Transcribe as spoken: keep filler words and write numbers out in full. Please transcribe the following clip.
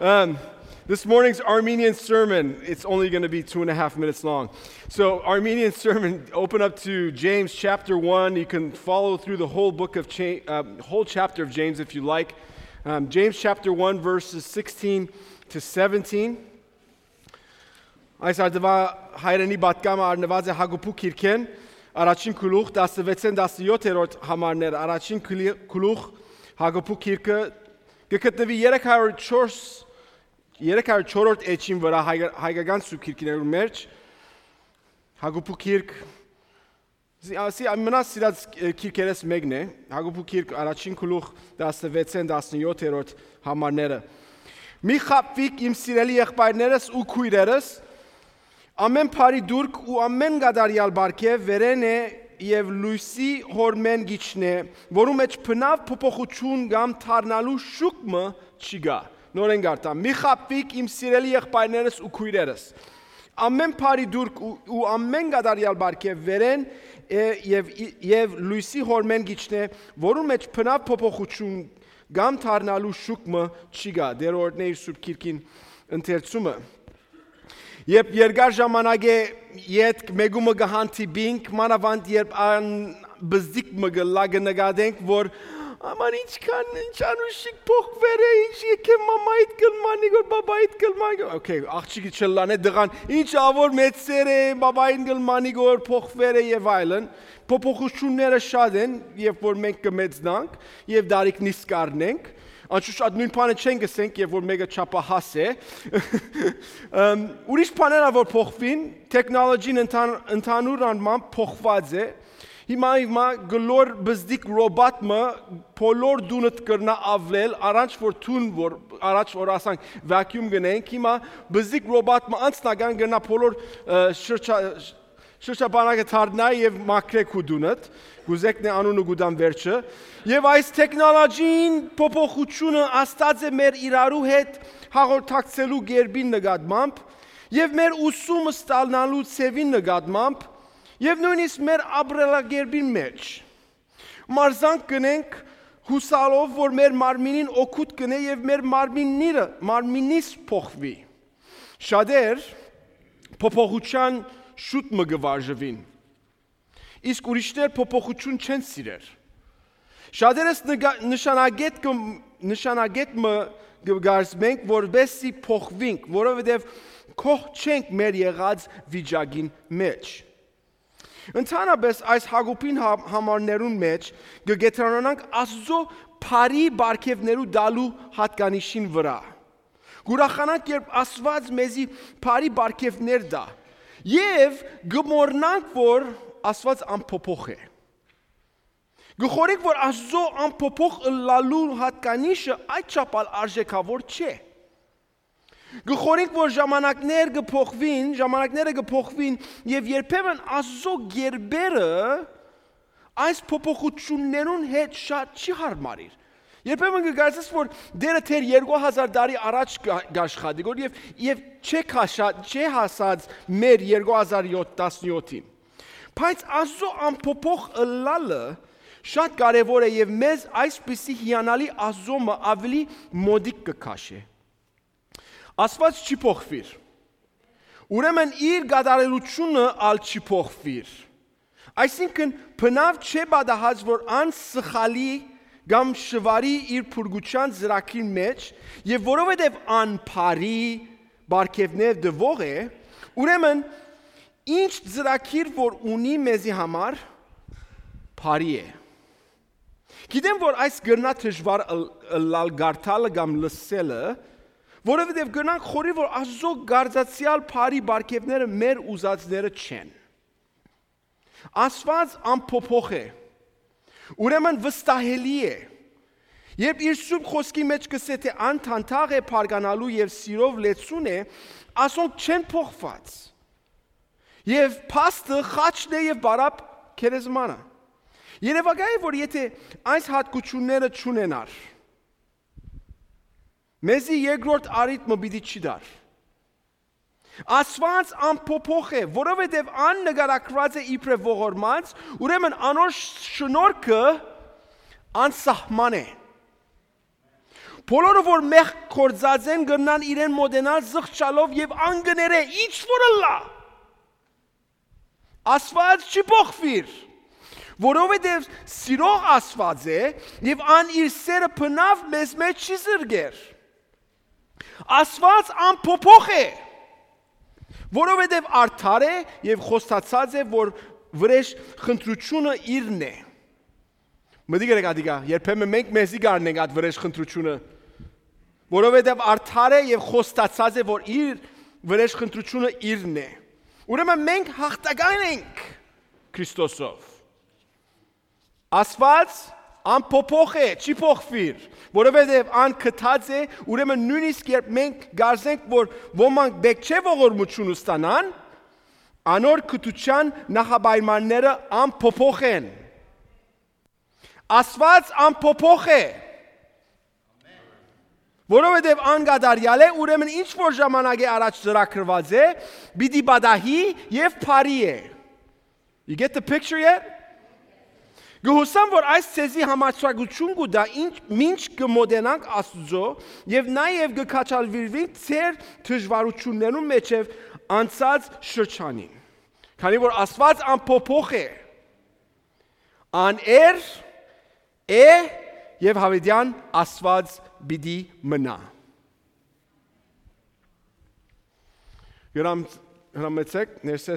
Um, this morning's Armenian sermon, it's only going to be two and a half minutes long. So, Armenian sermon, open up to James chapter one. You can follow through the whole book of Cha- um, whole chapter of James if you like. Um, James chapter one, verses sixteen to seventeen. Այս արդուա հայրենի պատկամը առնուած է Հակոբու գիրքէն, առաջին գլուխ, տասնվեցէն տասնեօթերորդ համարներ, առաջին գլի- գլուխ, Հակոբու գիրքը կը գտնուի երեք հարյուր չորս, երեք հարյուր չորրորդ էջին վրայ հայկա- հայկական սուրբ գիրքներուն մէջ, Հակոբու գիրք, սի- սի- ամենասիրած, ը, գիրքերէս մեկն է, Հակոբու գիրք, առաջին գլուխ, տասնվեցէն տասնեօթերորդ համարները։ «Մի խաբուիք, իմ սիրելի եղբայրներս ու քոյրերս, ամէն բարի դուրք ու ամէն կատարեալ պարգեւ վերէն է եւ լոյսի հորմէն կ'իջնէ, որու մէջ բնաւ փոփոխութիւն կամ դառնալու շուք մը չի գայ»։ Նորէն կ'արդամ. «Մի խաբուիք, իմ սիրելի եղբայրներս ու քոյրերս, ամէն բարի դուրք ու, ու ամէն կատարեալ պարգեւ վերէն է եւ, եւ լոյսի հորմէն կ'իջնէ, որուն մէջ բնաւ փոփոխութիւն կամ դառնալու շուք մը չի գայ»։ Տէր օրհնէ իր սուրբ գիրքին ընթերցումը։ Երբ երկար ժամանակէ ետք մէկու մը կը հանդիպինք, մանաւանդ երբ ան բզդիկ մը կը լա, կը նկատենք, որ «Աման ինչքան, ինչ անուշիկ փոխուեր է, ինչ եկե մամայիդ կլմանի գոր, բաբայիդ կլմանի գոր»։ Okay, աղջիկը չլանէ, տղան ինչ ավոր մեծեր է, բաբային կլմանի գոր, փոխուեր է եւ այլն։ Փոփոխութիւնները շատ են, երբ որ մենք կը մեծնանք եւ դարիք նիսկ առնենք, անշուշտ այդ նոյն բանը չենք ըսենք, երբ որ մէկը չափահաս է։ Ըմ, ուրիշ բաներ ա որ փոխուին, տեխնոլոջին ընթան- ընդհանուր անմամբ փոխուած է։ Հիմա, հիմա գլոր բզդիկ ռոբոտ մը բոլոր դունդ կրնայ ավլել, առանջ որ դուն, որ, առաջ որ ասանք vacuum գնենք, հիմա բզդիկ ռոբոտ մը անձնական կրնայ բոլոր, ը, շրջա- շրջապանակը դառնայ եւ մաքրէ քու դունդ, կուզեքն է անունը կու տան վերջը։ Եւ այս տեխնոլոջին փոփոխութիւնը աստած է մեր իրարու հետ հաղորդակցելու կերպին նկատմամբ եւ մեր ուսումը ստանալու ձեւին նկատմամբ եւ նոյնիսկ մեր ապրելակերպին մէջ։ Մարզանք կ'ընենք յուսալով, որ մեր մարմինին օգուտ կ'ընէ եւ մեր մարմինները, մարմինիս փոխուի։ Շատեր փոփոխութեան շուտ մը կը վարժուին, իսկ ուրիշներ փոփոխութիւն չեն սիրեր։ Շատերս նկա- նշանակետ կը- նշանակետ մը կը կարծենք, որպեսզի փոխուինք, որովհետեւ գոհ չենք մեր եղած վիճակին մէջ։ Ընդհանրապէս այս Հակոբին հա- համարներուն մէջ կը կեդրանանանք Աստուծոյ բարի պարգեւներու տալու յատկանիշին վրայ։ Կ'ուրախանանք, երբ Աստուած մեզի բարի պարգեւներ տայ եւ կը մոռնանք, որ Աստուած անփոփոխ է։ Կը խորհենք, որ Աստուծոյ անփոփոխ ըլլալու յատկանիշը այդչափ ալ արժեքաւոր չէ։ Կը խորհենք, որ ժամանակներ կը փոխուին, ժամանակները կը փոխուին եւ երբեմն Աստուծոյ գերբերը այս փոփոխութիւններուն հետ շատ չի յարմարիր։ Երբեմն կը կարծես, որ Տէրը դեռ երկու հազար տարի առաջ կա- կ'աշխատի գոր եւ, եւ չէ քաշա- չէ հասած մեր երկու հազար յոթ- տասնյոթին։ Բայց Աստուծոյ անփոփոխ ըլլալը շատ կարեւոր է եւ մեզ այսպիսի հիանալի Աստուծոյ մը ավելի մօտիկ կը քաշէ։ Աստուած չի փոխուիր, ուրեմն իր կատարելութիւնը ալ չի փոխուիր։ Այսինքն, բնաւ չէ պատահած, որ ան սխալի կամ շուարի իր փրկութեան ծրագիր մէջ, եւ որովհետեւ ան բարի պարգեւներ տուող է, ուրեմն ինչ ծրագիր որ ունի մեզի համար, բարի է։ Գիտեմ, որ այս կրնայ դժուար ըլ- ըլլալ կարդալը կամ լսելը, որովհետեւ կրնանք խորհի, որ Աստուծոյ կարծացեալ բարի պարգեւները մեր ուզածները չեն։ Աստուած անփոփոխ է, ուրեմն վստահելի է։ Երբ իր սուրբ խօսքի մէջ կ'ըսէ, թէ ան դանդաղ է բարգանալու եւ սիրով լեցուն է, ասոնք չեն փոխուած։ Եւ փաստը խաչն է եւ բարապ գերեզմանը։ Երեւակայ է, որ եթե այս յատկությունները չունենար, մեզի երկրորդ առիթ մը պիտի չի տար։ Աստուած անփոփոխ է, որովհետեւ ան նկարագրուած է իբրեւ ողորմած, ուրեմն անոր շնորհքը անսահման է։ Բոլորը որ մեղք գործած են կրնան իրեն մոտենալ զղջալով եւ ան կը ներէ ինչ որ ըլլայ։ Աստուած չի փոխուիր, որովհետեւ սիրող Աստուած է եւ ան իր սերը բնաւ մեզմէ չի զրկեր։ Աստուած անփոփոխ է, որովհետեւ արդար է եւ խոստացած է որ վրեժ խնդրութիւնը իրն է։ Մտիկ ըրեք ատիկա, երբեմն մենք մեզի կ'առնենք այդ վրեժ խնդրութիւնը, որովհետեւ արդար է եւ խոստացած է որ իր վրեժ խնդրութիւնը իրն է։ Ուրեմն մենք հաղթական ենք Քրիստոսով։ Աստուած անփոփոխ է, չի փոխուիր, որովհետեւ ան գթած է, ուրեմն նոյնիսկ երբ մենք կարծենք որ ոմանք պէտք չէ ողորմութիւն ստանան, անոր գթութեան նախապայմանները անփոփոխ են։ Աստուած անփոփոխ է, որովհետեւ ան կատարեալ է, ուրեմն ինչ որ ժամանակի առաջ ծրագրուած է, պիտի պատահի եւ բարի է։ You get the picture yet? Կը յուսամ որ այս ցեզի համարձակութիւն կու տայ ինչ մինչ կը մոտենանք Աստուծոյ եւ նաեւ կը քաջալերուինք ձեր դժուարութիւններուն մէջեւ անցած շրջանին, քանի որ Աստուած անփոփոխ է, ան էր, է եւ յաւիտեան Աստուած պիտի մնայ։ Հրամեցեք ներսէ